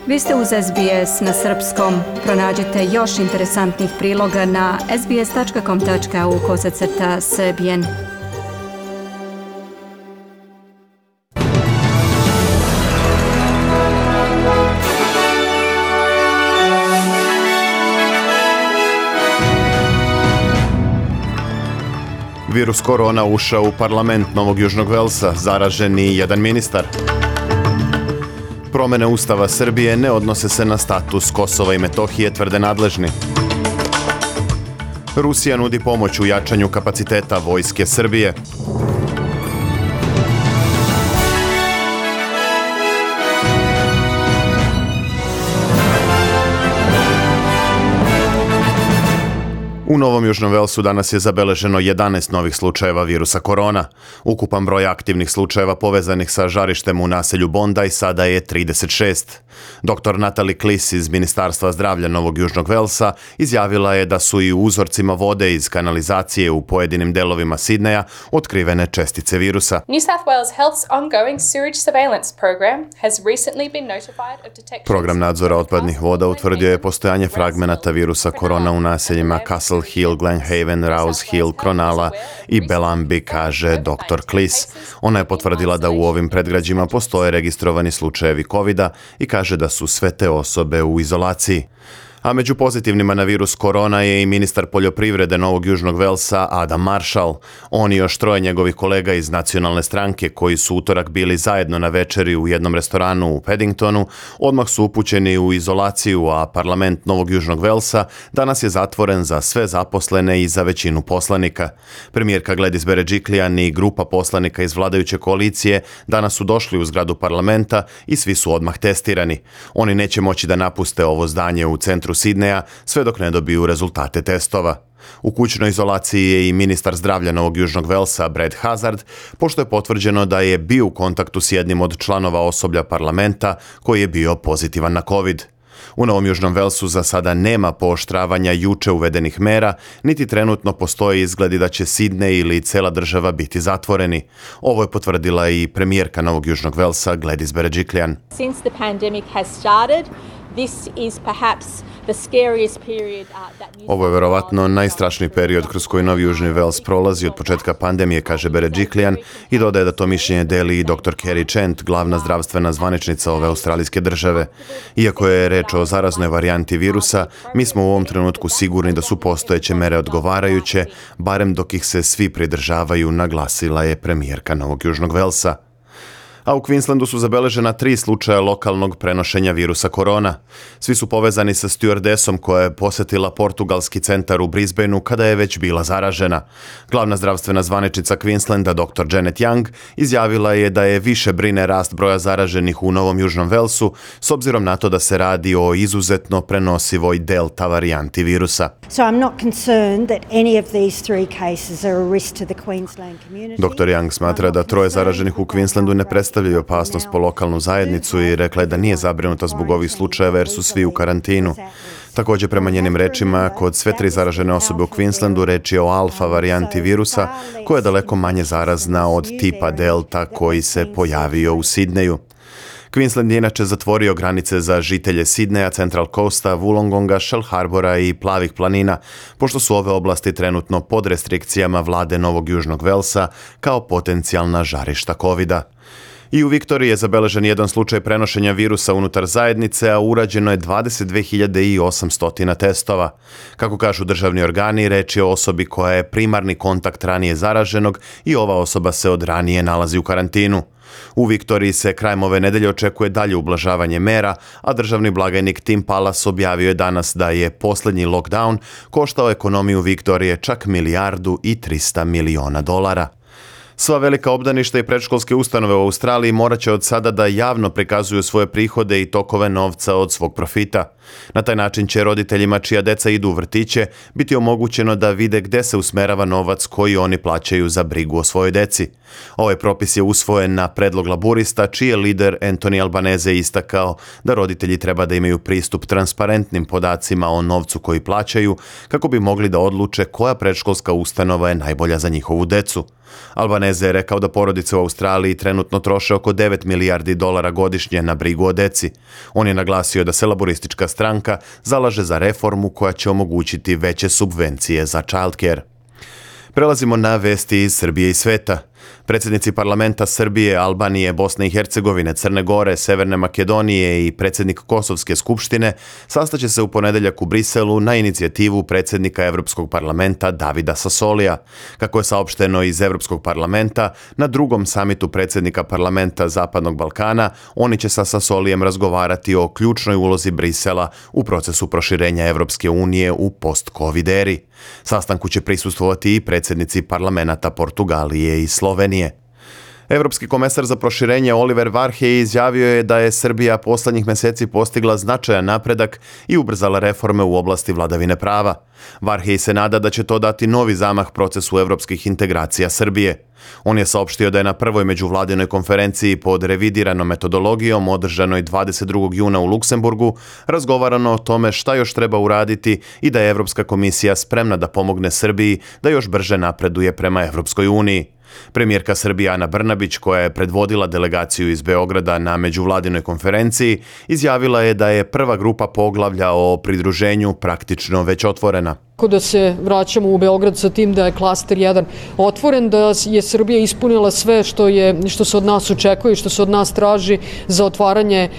Vi ste uz SBS na srpskom. Pronađite još interesantnih priloga na sbs.com.au/srbijen. Virus korona ušao u parlament Novog Južnog Velsa, zaražen i jedan ministar. Promene Ustava Srbije ne odnose se na status Kosova i Metohije, tvrde nadležni. Rusija nudi pomoć u jačanju kapaciteta vojske Srbije. U Novom Južnom Velsu danas je zabeleženo 11 novih slučajeva virusa korona. Ukupan broj aktivnih slučajeva povezanih sa žarištem u naselju Bondi sada je 36. Dr. Natalie Kliss iz Ministarstva zdravlja Novog Južnog Velsa izjavila je da su i u uzorcima vode iz kanalizacije u pojedinim delovima Sidneja otkrivene čestice virusa. New South Wales Health's ongoing sewage surveillance program has recently been notified of detection. Program nadzora otpadnih voda utvrdio je postojanje fragmenata virusa korona u naseljima Castle Hill, Glenhaven, Rouse Hill, Cronulla i Bellambi, kaže dr. Kliss. Ona je potvrdila da u ovim predgrađima postoje registrovani slučajevi COVID-a i kaže da su sve te osobe u izolaciji. A među pozitivnima na virus korona je i ministar poljoprivrede Novog Južnog Velsa Adam Marshall. On i još troje njegovih kolega iz nacionalne stranke koji su utorak bili zajedno na večeri u jednom restoranu u Paddingtonu, odmah su upućeni u izolaciju, a parlament Novog Južnog Velsa danas je zatvoren za sve zaposlene i za većinu poslanika. Premijerka Gladys Berejiklian i grupa poslanika iz vladajuće koalicije danas su došli u zgradu parlamenta i svi su odmah testirani. Oni neće moći da napuste ovo zdanje u centru Sidneja sve dok ne dobiju rezultate testova. U kućnoj izolaciji je i ministar zdravlja Novog Južnog Velsa Brad Hazard, pošto je potvrđeno da je bio u kontaktu s jednim od članova osoblja parlamenta koji je bio pozitivan na COVID. U Novom Južnom Velsu za sada nema pooštravanja juče uvedenih mera, niti trenutno postoje izgledi da će Sidney ili cela država biti zatvoreni. Ovo je potvrdila i premijerka Novog Južnog Velsa Gladys Berejiklian. Since the pandemic has started, this is perhaps the scariest period Ovo je verovatno najstrašniji period kroz koji Novi Južni Vels prolazi od početka pandemije, kaže Berejiklian i dodaje da to mišljenje deli i dr. Kerry Chant, glavna zdravstvena zvaničnica ove australijske države. Iako je reč o zaraznoj varijanti virusa, mi smo u ovom trenutku sigurni da su postojeće mere odgovarajuće, barem dok ih se svi pridržavaju, naglasila je premijerka Novog Južnog Velsa. A u Queenslandu su zabeležena 3 slučaja lokalnog prenošenja virusa korona. Svi su povezani sa stjuardesom koja je posetila portugalski centar u Brisbaneu kada je već bila zaražena. Glavna zdravstvena zvaničnica Queenslanda dr. Janet Young izjavila je da je više brine rast broja zaraženih u Novom Južnom Velsu s obzirom na to da se radi o izuzetno prenosivoj delta varijanti virusa. So I'm not concerned that any of these 3 cases are a risk to the Queensland community. Dr. Young smatra da 3 zaraženih u Queenslandu ne predstavljaju opasnost po lokalnu zajednicu i rekla je da nije zabrinuta zbog ovih slučajeva jer su svi u karantinu. Također, prema njenim rečima, kod sve 3 zaražene osobe u Queenslandu reč je o alfa varijanti virusa koja je daleko manje zarazna od tipa delta koji se pojavio u Sidneju. Queensland je inače zatvorio granice za žitelje Sidneja, Central Coasta, Wollongonga, Shell Harbora i Plavih planina, pošto su ove oblasti trenutno pod restrikcijama vlade Novog Južnog Velsa kao potencijalna žarišta COVID-a. I u Viktoriji je zabeležen jedan slučaj prenošenja virusa unutar zajednice, a urađeno je 22.800 testova. Kako kažu državni organi, reč je o osobi koja je primarni kontakt ranije zaraženog i ova osoba se od ranije nalazi u karantinu. U Viktoriji se krajem ove nedelje očekuje dalje ublažavanje mera, a državni blagajnik Tim Pallas objavio je danas da je posljednji lockdown koštao ekonomiju Viktorije čak $1,3 milijardi. Sva velika obdaništa i predškolske ustanove u Australiji morat će od sada da javno prikazuju svoje prihode i tokove novca od svog profita. Na taj način će roditeljima čija deca idu u vrtiće biti omogućeno da vide gde se usmerava novac koji oni plaćaju za brigu o svojoj deci. Ovaj propis je usvojen na predlog laburista, čiji je lider Anthony Albanese istakao da roditelji treba da imaju pristup transparentnim podacima o novcu koji plaćaju kako bi mogli da odluče koja predškolska ustanova je najbolja za njihovu decu. Albanese je rekao da porodice u Australiji trenutno troše oko 9 milijardi dolara godišnje na brigu o deci. On je naglasio da se laboristička stranka zalaže za reformu koja će omogućiti veće subvencije za childcare. Prelazimo na vesti iz Srbije i sveta. Predsjednici parlamenta Srbije, Albanije, Bosne i Hercegovine, Crne Gore, Severne Makedonije i predsjednik Kosovske skupštine sastaće se u ponedeljak u Briselu na inicijativu predsjednika Evropskog parlamenta Davida Sassolija. Kako je saopšteno iz Evropskog parlamenta, na drugom samitu predsjednika parlamenta Zapadnog Balkana oni će sa Sassolijem razgovarati o ključnoj ulozi Brisela u procesu proširenja Evropske unije u post-covid eri. Sastanku će prisustvovati i predsjednici parlamenta Portugalije i Slovenije. Evropski komesar za proširenje Oliver Varhej izjavio je da je Srbija poslednjih meseci postigla značajan napredak i ubrzala reforme u oblasti vladavine prava. Varhej se nada da će to dati novi zamah procesu evropskih integracija Srbije. On je saopštio da je na prvoj međuvladinoj konferenciji pod revidiranom metodologijom održanoj 22. juna u Luksemburgu razgovarano o tome šta još treba uraditi i da je Evropska komisija spremna da pomogne Srbiji da još brže napreduje prema Evropskoj uniji. Premijerka Srbije Ana Brnabić, koja je predvodila delegaciju iz Beograda na međuvladinoj konferenciji, izjavila je da je prva grupa poglavlja o pridruženju praktično već otvorena. Da se vraćamo u Beograd sa tim da je klaster 1 otvoren, da je Srbija ispunila sve što se od nas očekuje i što se od nas traži za otvaranje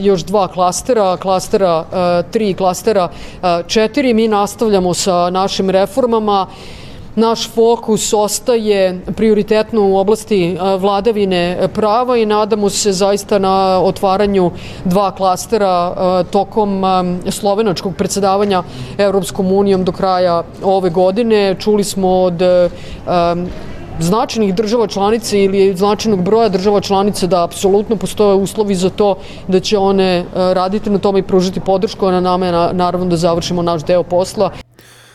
još 2 klastera, klastera 3 i klastera 4. Mi nastavljamo sa našim reformama. Naš fokus ostaje prioritetno u oblasti vladavine prava i nadamo se zaista na otvaranju 2 klastera tokom slovenačkog predsjedavanja Evropskom unijom do kraja ove godine. Čuli smo od značajnih država članica ili značajnog broja država članica da apsolutno postoje uslovi za to, da će one raditi na tome i pružiti podršku, a na nama je naravno da završimo naš deo posla.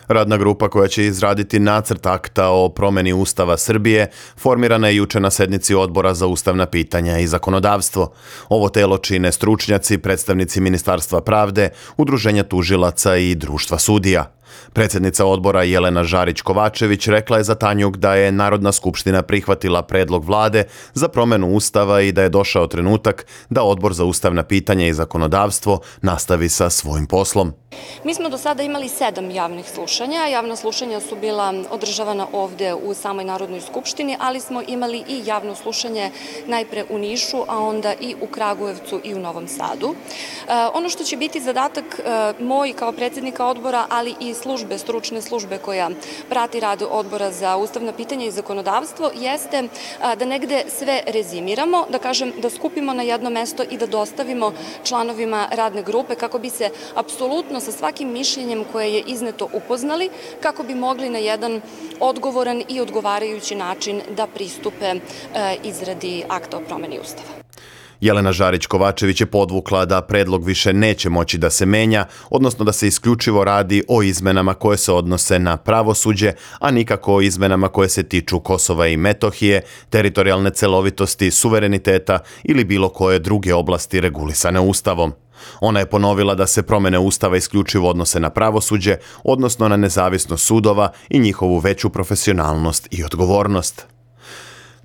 Radna grupa koja će izraditi nacrt akta o promeni Ustava Srbije formirana je juče na sednici Odbora za ustavna pitanja i zakonodavstvo. Ovo telo čine stručnjaci, predstavnici Ministarstva pravde, udruženja tužilaca i društva sudija. Predsjednica odbora Jelena Žarić-Kovačević rekla je za Tanjug da je Narodna skupština prihvatila predlog vlade za promenu Ustava i da je došao trenutak da Odbor za ustavna pitanja i zakonodavstvo nastavi sa svojim poslom. Mi smo do sada imali 7 javnih slušanja. Javna slušanja su bila održavana ovde u samoj Narodnoj skupštini, ali smo imali i javno slušanje najpre u Nišu, a onda i u Kragujevcu i u Novom Sadu. Ono što će biti zadatak moj kao predsjednika odbora, ali i stručne službe koja prati rad Odbora za ustavna pitanja i zakonodavstvo, jeste da negde sve rezimiramo, da kažem, da skupimo na jedno mesto i da dostavimo članovima radne grupe kako bi se apsolutno sa svakim mišljenjem koje je izneto upoznali, kako bi mogli na jedan odgovoran i odgovarajući način da pristupe izradi akta o promeni Ustava. Jelena Žarić-Kovačević je podvukla da predlog više neće moći da se menja, odnosno da se isključivo radi o izmenama koje se odnose na pravosuđe, a nikako o izmenama koje se tiču Kosova i Metohije, teritorijalne celovitosti, suvereniteta ili bilo koje druge oblasti regulisane Ustavom. Ona je ponovila da se promene Ustava isključivo odnose na pravosuđe, odnosno na nezavisnost sudova i njihovu veću profesionalnost i odgovornost.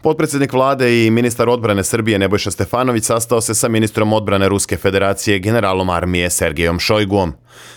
Potpredsjednik vlade i ministar odbrane Srbije Nebojša Stefanović sastao se sa ministrom odbrane Ruske federacije generalom armije Sergejom Šojguom.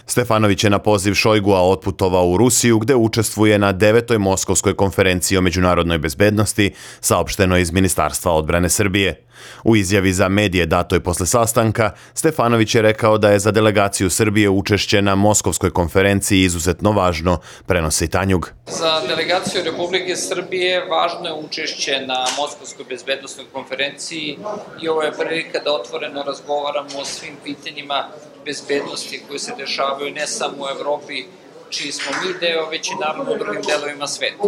Stefanović je na poziv Šojgua otputovao u Rusiju gde učestvuje na 9. Moskovskoj konferenciji o međunarodnoj bezbednosti, saopšteno iz Ministarstva odbrane Srbije. U izjavi za medije datoj posle sastanka, Stefanović je rekao da je za delegaciju Srbije učešće na Moskovskoj konferenciji izuzetno važno, prenosi Tanjug. Za delegaciju Republike Srbije važno je učešće na Moskovskoj bezbednosnoj konferenciji i ovo je prilika da otvoreno razgovaramo o svim pitanjima bezbednosti koje se dešavaju ne samo u Evropi, čiji smo mi deo, već i naravno u drugim delovima sveta.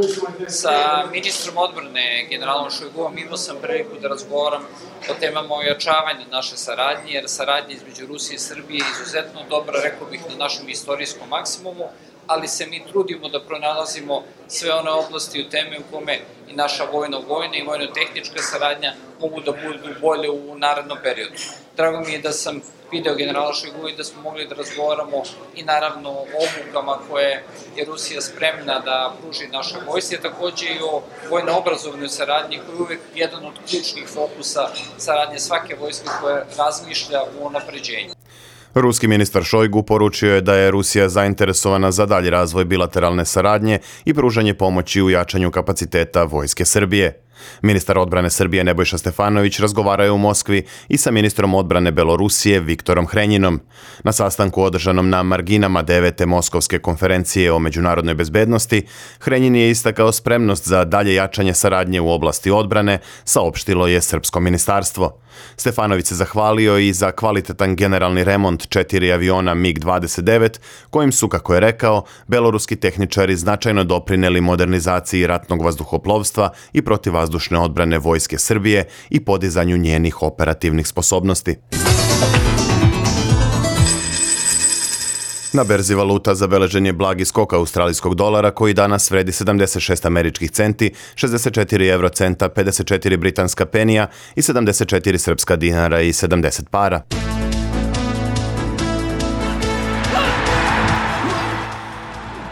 Sa ministrom odbrane, generalom Šojguom, imao sam priliku da razgovaram o temama ojačavanja naše saradnje, jer saradnja između Rusije i Srbije je izuzetno dobra, rekao bih, na našem istorijskom maksimumu, ali se mi trudimo da pronalazimo sve one oblasti u teme u kome i naša vojna i vojno-tehnička saradnja mogu da budu bolje u narednom periodu. Drago mi je da sam video generala Šojgu i da smo mogli da razgovaramo i naravno o obukama koje je Rusija spremna da pruži našoj vojsci, takođe i o vojno-obrazovnoj saradnji koji je uvek jedan od ključnih fokusa saradnje svake vojske koja razmišlja u unapređenju. Ruski ministar Šojgu poručio je da je Rusija zainteresovana za dalji razvoj bilateralne saradnje i pružanje pomoći u jačanju kapaciteta Vojske Srbije. Ministar odbrane Srbije Nebojša Stefanović razgovarao je u Moskvi i sa ministrom odbrane Belorusije Viktorom Hrenjinom. Na sastanku održanom na marginama 9. Moskovske konferencije o međunarodnoj bezbednosti, Hrenjin je istakao spremnost za dalje jačanje saradnje u oblasti odbrane, saopštilo je Srpsko ministarstvo. Stefanović se zahvalio i za kvalitetan generalni remont 4 aviona MiG-29, kojim su, kako je rekao, beloruski tehničari značajno doprineli modernizaciji ratnog vazduhoplovstva i protivvazdušne odbrane Vojske Srbije i podizanju njenih operativnih sposobnosti. Na berzi valuta zabeležen je blagi skok australijskog dolara koji danas vredi 76 američkih centi, 64 eurocenta, 54 britanska penija i 74 srpska dinara i 70 para.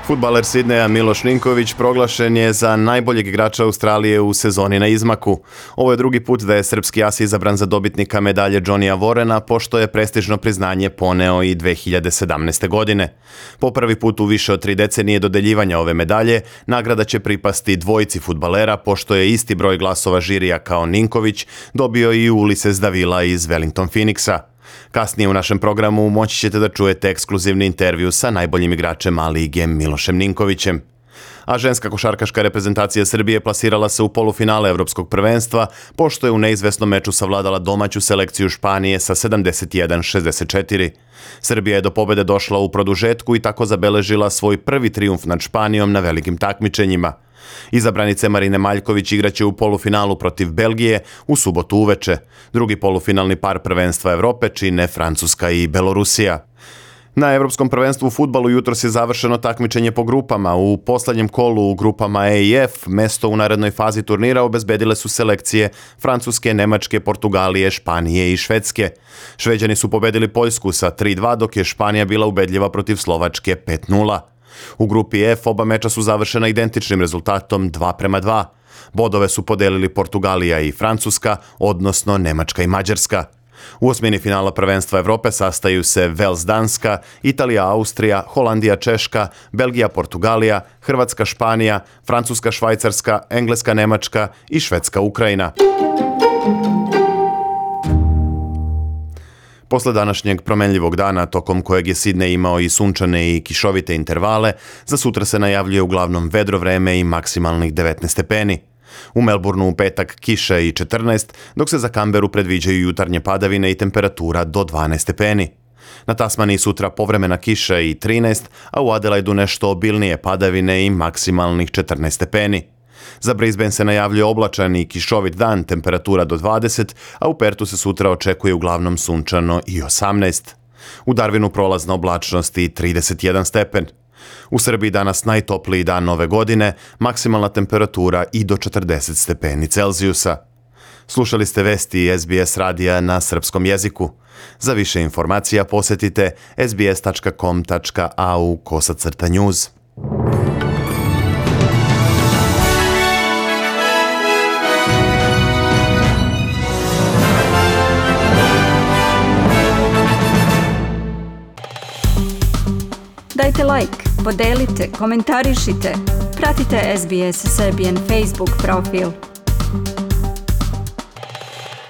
Fudbaler Sidneja Miloš Ninković proglašen je za najboljeg igrača Australije u sezoni na izmaku. Ovo je drugi put da je srpski as izabran za dobitnika medalje Johnnyja Warrena, pošto je prestižno priznanje poneo i 2017. godine. Po prvi put u više od 3 decenije dodeljivanja ove medalje, nagrada će pripasti dvojici fudbalera, pošto je isti broj glasova žirija kao Ninković dobio i Ulises Davila iz Wellington Phoenixa. Kasnije u našem programu moći ćete da čujete ekskluzivni intervju sa najboljim igračem A-lige Milošem Ninkovićem. A ženska košarkaška reprezentacija Srbije plasirala se u polufinale Evropskog prvenstva, pošto je u neizvesnom meču savladala domaću selekciju Španije sa 71-64. Srbija je do pobede došla u produžetku i tako zabeležila svoj prvi trijumf nad Španijom na velikim takmičenjima. Izabranice Marine Maljković igraće u polufinalu protiv Belgije u subotu uveče. Drugi polufinalni par prvenstva Evrope čine Francuska i Belorusija. Na Evropskom prvenstvu u fudbalu jutros je završeno takmičenje po grupama. U poslednjem kolu u grupama E i F mesto u narednoj fazi turnira obezbedile su selekcije Francuske, Nemačke, Portugalije, Španije i Švedske. Šveđani su pobedili Poljsku sa 3-2, dok je Španija bila ubedljiva protiv Slovačke 5-0. U grupi F oba meča su završena identičnim rezultatom 2-2. Bodove su podelili Portugalija i Francuska, odnosno Nemačka i Mađarska. U osmini finala prvenstva Evrope sastaju se Vels Danska, Italija Austrija, Holandija Češka, Belgija Portugalija, Hrvatska Španija, Francuska Švajcarska, Engleska Nemačka i Švedska Ukrajina. Posle današnjeg promenljivog dana, tokom kojeg je Sidnej imao i sunčane i kišovite intervale, za sutra se najavljuje uglavnom vedro vreme i maksimalnih 19 stepeni. U Melbourneu u petak kiša i 14, dok se za Kamberu predviđaju jutarnje padavine i temperatura do 12 stepeni. Na Tasmaniji sutra povremena kiša i 13, a u Adelaidu nešto obilnije padavine i maksimalnih 14 stepeni. Za Brisbane se najavljuje oblačan i kišovit dan, temperatura do 20, a u Pertu se sutra očekuje uglavnom sunčano i 18. U Darwinu prolazna oblačnost i 31 stepen. U Srbiji danas najtopliji dan nove godine, maksimalna temperatura i do 40 stepeni Celzijusa. Slušali ste vesti SBS radija na srpskom jeziku. Za više informacija posetite sbs.com.au/news. Dajte like, podelite, komentarišite. Pratite SBS Serbian Facebook profil.